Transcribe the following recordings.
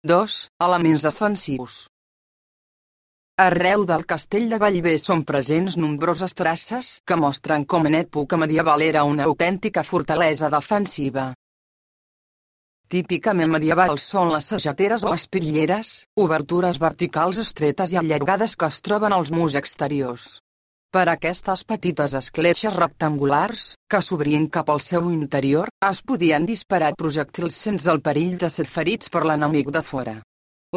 2. Elements defensius. Arreu del castell de Bellver són presents nombroses traces que mostren com en època medieval era una autèntica fortalesa defensiva. Típicament medievals són les sageteres o espitlleres, obertures verticals estretes i allargades que es troben als murs exteriors. Per aquestes petites escletxes rectangulars, que s'obrien cap al seu interior, es podien disparar projectils sense el perill de ser ferits per l'enemic de fora.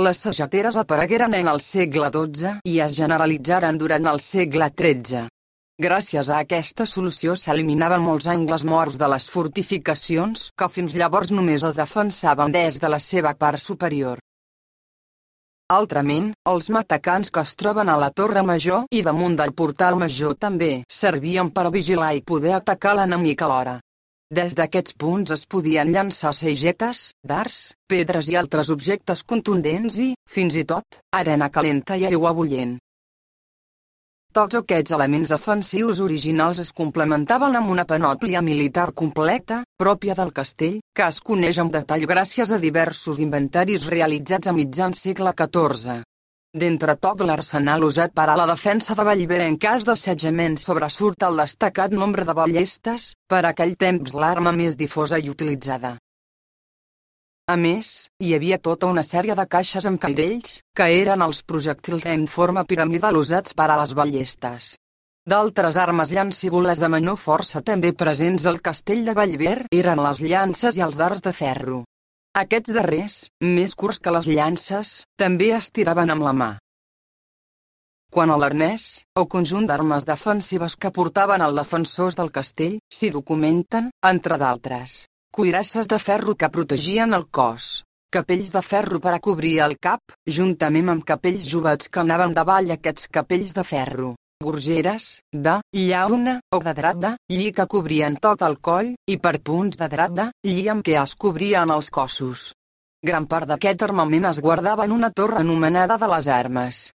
Les sageteres aparegueren en el segle XII i es generalitzaren durant el segle XIII. Gràcies a aquesta solució s'eliminaven molts angles morts de les fortificacions que fins llavors només es defensaven des de la seva part superior. Altrament, els matacans que es troben a la Torre Major i damunt del portal major també servien per vigilar i poder atacar l'enemic alhora. Des d'aquests punts es podien llançar sagetes, dards, pedres i altres objectes contundents i, fins i tot, arena calenta i aigua bullent. Tots aquests elements defensius originals es complementaven amb una panòplia militar completa, pròpia del castell, que es coneix amb detall gràcies a diversos inventaris realitzats a mitjan segle XIV. D'entre tot l'arsenal usat per a la defensa de Bellver en cas d'assetjament sobresurt el destacat nombre de ballestes, per aquell temps l'arma més difosa i utilitzada. A més, hi havia tota una sèrie de caixes amb cairells, que eren els projectils en forma piramidal usats per a les ballestes. D'altres armes llancívoles de menor força també presents al castell de Bellver eren les llances i els dards de ferro. Aquests darrers, més curts que les llances, també es tiraven amb la mà. Quant a l'arnès, o conjunt d'armes defensives que portaven els defensors del castell, s'hi documenten, entre d'altres, cuirasses de ferro que protegien el cos, capells de ferro per a cobrir el cap, juntament amb capells jovats que anaven davall aquests capells de ferro, gorgeres, de llauna o de drap de lli que cobrien tot el coll, i per punts de drap de lli amb què es cobrien els cossos. Gran part d'aquest armament es guardava en una torre anomenada de les armes,